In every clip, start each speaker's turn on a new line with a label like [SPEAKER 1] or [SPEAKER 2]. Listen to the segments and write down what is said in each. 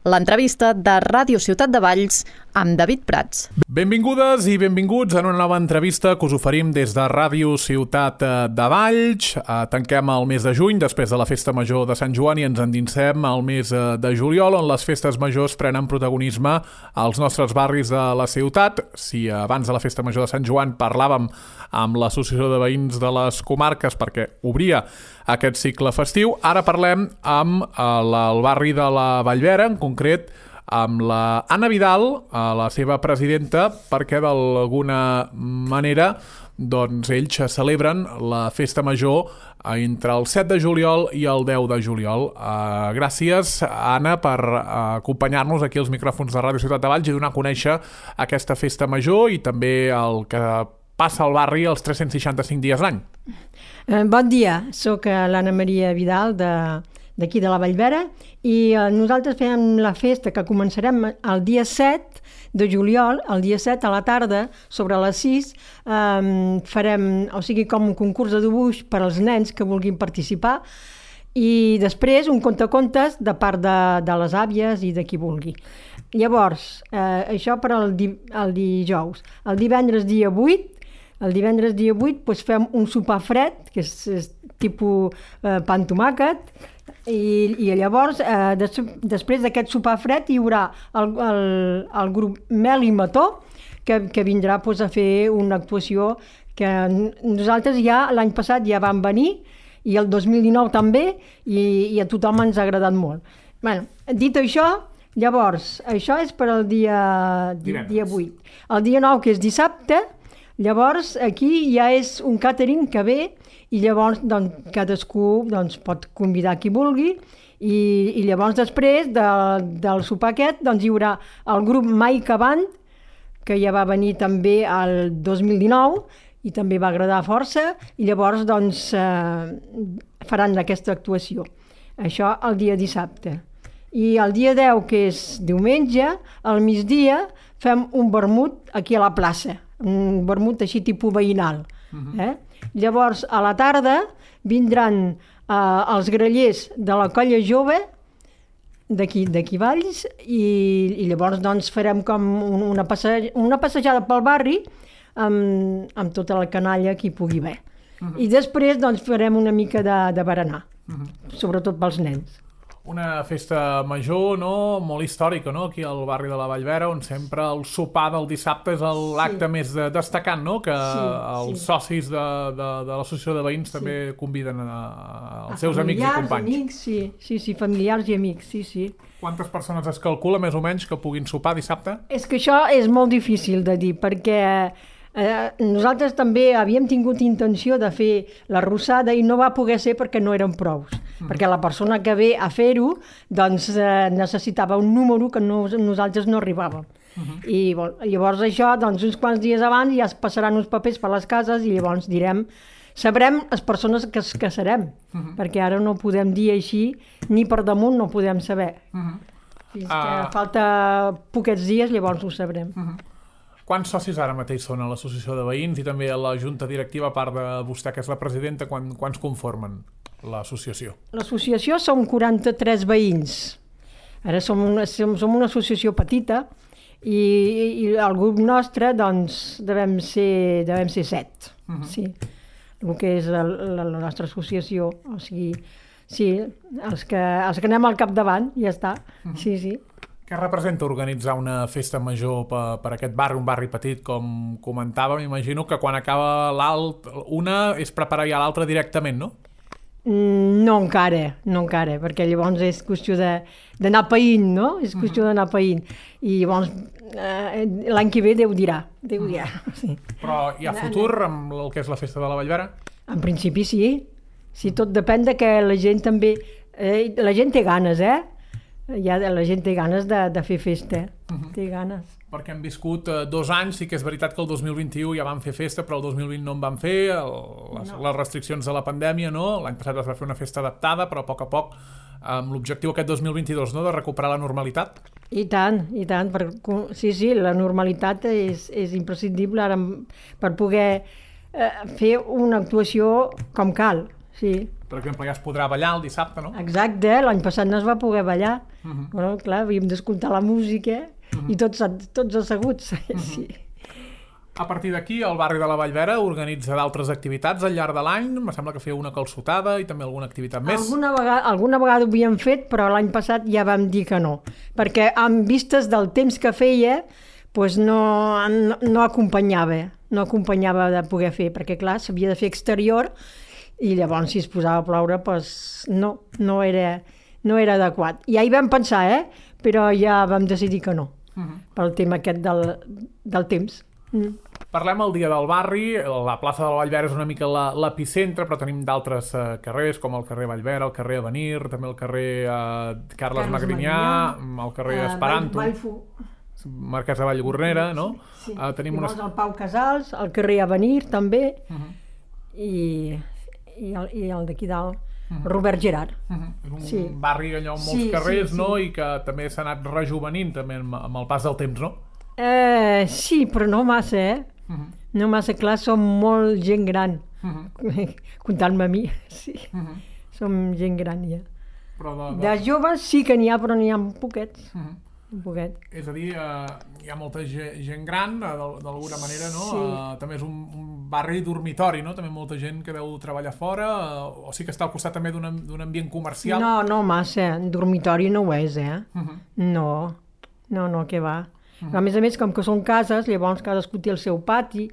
[SPEAKER 1] l'entrevista de Ràdio Ciutat de Valls amb David Prats.
[SPEAKER 2] Benvingudes i benvinguts en una nova entrevista que us oferim des de Ràdio Ciutat de Valls. Tanquem el mes de juny després de la Festa Major de Sant Joan i ens endinsem al mes de juliol, on les festes majors prenen protagonisme als nostres barris de la ciutat. Si abans de la Festa Major de Sant Joan parlàvem amb l'Associació de Veïns de les Comarques perquè obria aquest cicle festiu, ara parlem amb el barri de la Vallvera, en concret amb la Anna Vidal, la seva presidenta, perquè d'alguna manera doncs ells celebren la Festa Major entre el 7 de juliol i el 10 de juliol. Gràcies, Anna, per acompanyar-nos aquí als micròfons de Ràdio Ciutat de Valls i donar a conèixer aquesta Festa Major i també el que passa al barri els 365 dies l'any.
[SPEAKER 3] Bon dia, sóc l'Anna Maria Vidal d'aquí de la Vallvera i nosaltres fem la festa que començarem el dia 7 de juliol, el dia 7 a la tarda, sobre les 6, farem, o sigui, com un concurs de dibuix per als nens que vulguin participar i després un contacontes de part de les àvies i de qui vulgui. Llavors, això per al dijous. El divendres dia 8 doncs fem un sopar fred, que és tipus pa amb tomàquet, i llavors, després d'aquest sopar fred, hi haurà el grup Mel i Mató, que vindrà a fer una actuació que nosaltres ja l'any passat ja vam venir, i el 2019 també, i a tothom ens ha agradat molt. Bueno, dit això, llavors, això és per al dia 8. El dia 9, que és dissabte, llavors aquí ja és un càtering que ve i llavors cadascú pot convidar qui vulgui i llavors després del sopar aquest hi haurà el grup Maica Band, que ja va venir també el 2019 i també va agradar força i llavors faran aquesta actuació. Això el dia dissabte. I el dia 10, que és diumenge, al migdia fem un vermut aquí a la plaça, un vermut així tipus veïnal. Llavors, a la tarda vindran els grallers de la colla jove d'aquí Valls i llavors farem com una passejada pel barri amb tota la canalla que hi pugui haver. I després farem una mica de berenar, sobretot pels nens.
[SPEAKER 2] Una festa major, no?, molt històrica, no?, aquí al barri de la Vallvera, on sempre el sopar del dissabte és l'acte més destacant, no?, que els socis de l'Associació de Veïns també conviden els seus amics i companys.
[SPEAKER 3] Amics, sí, familiars i amics, sí.
[SPEAKER 2] Quantes persones es calcula, més o menys, que puguin sopar dissabte?
[SPEAKER 3] És que això és molt difícil de dir, perquè nosaltres també havíem tingut intenció de fer la rossada i no va poder ser perquè no eren prous. Perquè la persona que ve a fer-ho necessitava un número que nosaltres no arribàvem. I llavors això, uns quants dies abans ja es passaran uns papers per les cases i llavors sabrem les persones que serem, perquè ara no podem dir així, ni per damunt no podem saber. Fins que falta poquets dies, llavors ho sabrem.
[SPEAKER 2] Quants socis ara mateix són a l'Associació de Veïns i també a la Junta Directiva, a part de vostè, que és la presidenta, quants conformen l'associació?
[SPEAKER 3] L'associació som 43 veïns. Ara som una associació petita i el grup nostre devem ser 7. Sí, el que és la nostra associació. O sigui, sí, els que anem al capdavant, ja està. Sí.
[SPEAKER 2] Què representa organitzar una festa major per aquest barri, un barri petit, com comentàvem? M'imagino que quan acaba una és preparar ja l'altra directament, no?
[SPEAKER 3] No encara, perquè llavors és qüestió d'anar païnt, no? És qüestió d'anar païnt. I llavors l'any que ve Déu dirà. Sí.
[SPEAKER 2] Però hi ha futur amb el que és la festa de la Vallvera?
[SPEAKER 3] En principi sí. Sí, tot depèn de que la gent també... La gent té ganes, la gent té ganes de fer festa, té ganes.
[SPEAKER 2] Perquè hem viscut 2 anys, sí que és veritat que el 2021 ja vam fer festa, però el 2020 no en vam fer, les restriccions de la pandèmia, no? L'any passat es va fer una festa adaptada, però a poc, amb l'objectiu aquest 2022, no?, de recuperar la normalitat.
[SPEAKER 3] I tant, sí, la normalitat és imprescindible ara per poder fer una actuació com cal, sí.
[SPEAKER 2] Per exemple, ja es podrà ballar el dissabte, no?
[SPEAKER 3] Exacte, l'any passat no es va poder ballar. Bueno, clar, havíem d'escoltar la música i tots asseguts. Sí.
[SPEAKER 2] A partir d'aquí, el barri de la Vallvera organitza d'altres activitats al llarg de l'any. Em sembla que feu una calçotada i també alguna activitat més.
[SPEAKER 3] Alguna vegada ho havíem fet, però l'any passat ja vam dir que no. Perquè amb vistes del temps que feia, doncs no acompanyava de poder fer, perquè clar, s'havia de fer exterior i llavors si es posava a ploure doncs no era adequat. Ja hi vam pensar, però ja vam decidir que no, pel tema aquest del temps.
[SPEAKER 2] Parlem el dia del barri. La plaça de la Vallvera és una mica l'epicentre, però tenim d'altres carrers, com el carrer Vallvera, el carrer Avenir, també el carrer Carles Magrinyà, el carrer Esperanto, Marquès de Vallgornera, no?
[SPEAKER 3] Sí. Llavors el Pau Casals, el carrer Avenir també, i el d'aquí dalt, Robert Gerard.
[SPEAKER 2] És un barri allò amb molts carrers, no? I que també s'ha anat rejuvenint també amb el pas del temps, no?
[SPEAKER 3] Sí, però no massa, No massa, clar, som molt gent gran, comptant-me a mi, sí. Som gent gran, ja. De joves sí que n'hi ha, però n'hi ha poquets. Un poquet.
[SPEAKER 2] És a dir, hi ha molta gent gran, d'alguna manera, no?
[SPEAKER 3] Sí.
[SPEAKER 2] També és un barri dormitori, no? També molta gent que deu treballar fora, o sí que està al costat també d'un ambient comercial.
[SPEAKER 3] No massa, dormitori no ho és, No, què va. A més, com que són cases, llavors cadascú té el seu pati,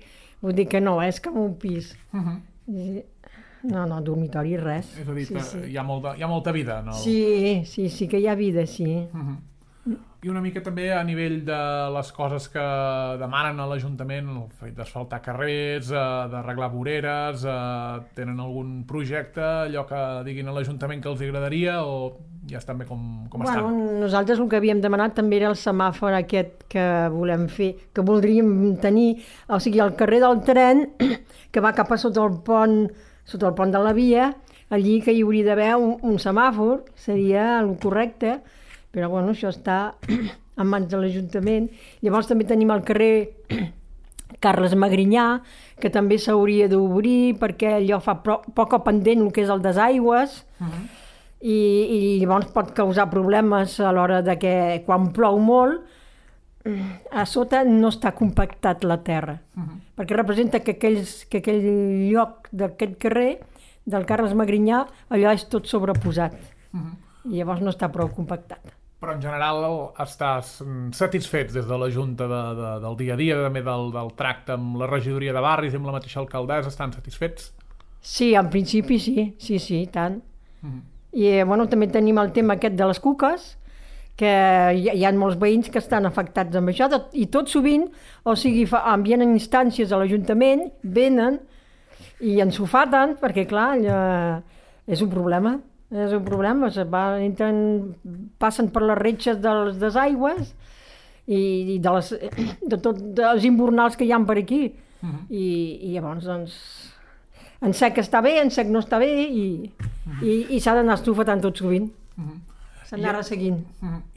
[SPEAKER 3] vull dir que no, és com un pis. No, dormitori res.
[SPEAKER 2] És a dir, hi ha molta vida, no?
[SPEAKER 3] Sí, que hi ha vida, sí.
[SPEAKER 2] I una mica també a nivell de les coses que demanen a l'Ajuntament, el fet d'asfaltar carrers, d'arreglar voreres, tenen algun projecte, allò que diguin a l'Ajuntament que els agradaria, o ja estan bé com estan?
[SPEAKER 3] Nosaltres el que havíem demanat també era el semàfor aquest que volem fer, que voldríem tenir, o sigui, el carrer del tren, que va cap a sota el pont de la via, allí que hi hauria d'haver un semàfor, seria el correcte, però això està en mans de l'Ajuntament. Llavors també tenim el carrer Carles Magrinyà, que també s'hauria d'obrir perquè allò fa poc pendent el que és el desaigües, i llavors pot causar problemes a l'hora de que quan plou molt a sota no està compactat la terra, perquè representa que aquell lloc d'aquest carrer del Carles Magrinyà allò és tot sobreposat i llavors no està prou compactat.
[SPEAKER 2] Però en general estàs satisfets des de la Junta del dia a dia, també del tracte amb la regidoria de barris i amb la mateixa alcaldessa, estan satisfets?
[SPEAKER 3] Sí, en principi sí, tant. I també tenim el tema aquest de les cuques, que hi ha molts veïns que estan afectats amb això, i tot sovint, o sigui, envien instàncies a l'Ajuntament, venen i ens ho faten, perquè clar, és un problema. Passen per les retxes dels desaigües i de tots els invernals que hi ha per aquí. I llavors, en sec està bé, en sec no està bé, i s'ha d'anar estufetant tot sovint. S'ha d'anar resseguint.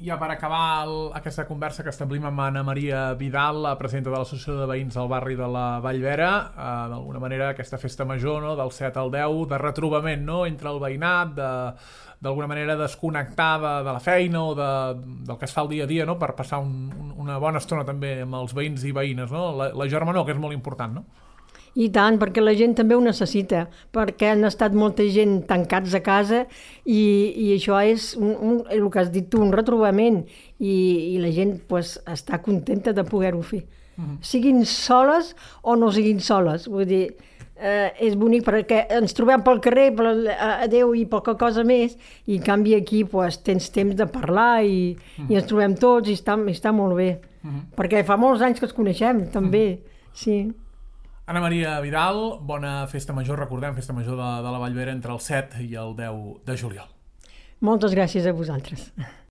[SPEAKER 2] Ja per acabar aquesta conversa que establim amb Anna Maria Vidal, la presidenta de l'Associació de Veïns del barri de la Vallvera, d'alguna manera aquesta festa major, no, del 7 al 10, de retrobament, no, entre el veïnat, d'alguna manera desconnectar de la feina o del que es fa el dia a dia, no, per passar una bona estona també amb els veïns i veïnes, no? La germanor, que és molt important, no?
[SPEAKER 3] I tant, perquè la gent també ho necessita, perquè han estat molta gent tancats a casa i això és, el que has dit tu, un retrobament, i la gent està contenta de poder-ho fer. Siguin soles o no siguin soles, vull dir, és bonic perquè ens trobem pel carrer, adeu i poca cosa més, i en canvi aquí tens temps de parlar i ens trobem tots i està molt bé, perquè fa molts anys que es coneixem, també, sí.
[SPEAKER 2] Anna Maria Vidal, bona festa major, recordem, festa major de la Vallvera entre el 7 i el 10 de juliol.
[SPEAKER 3] Moltes gràcies a vosaltres.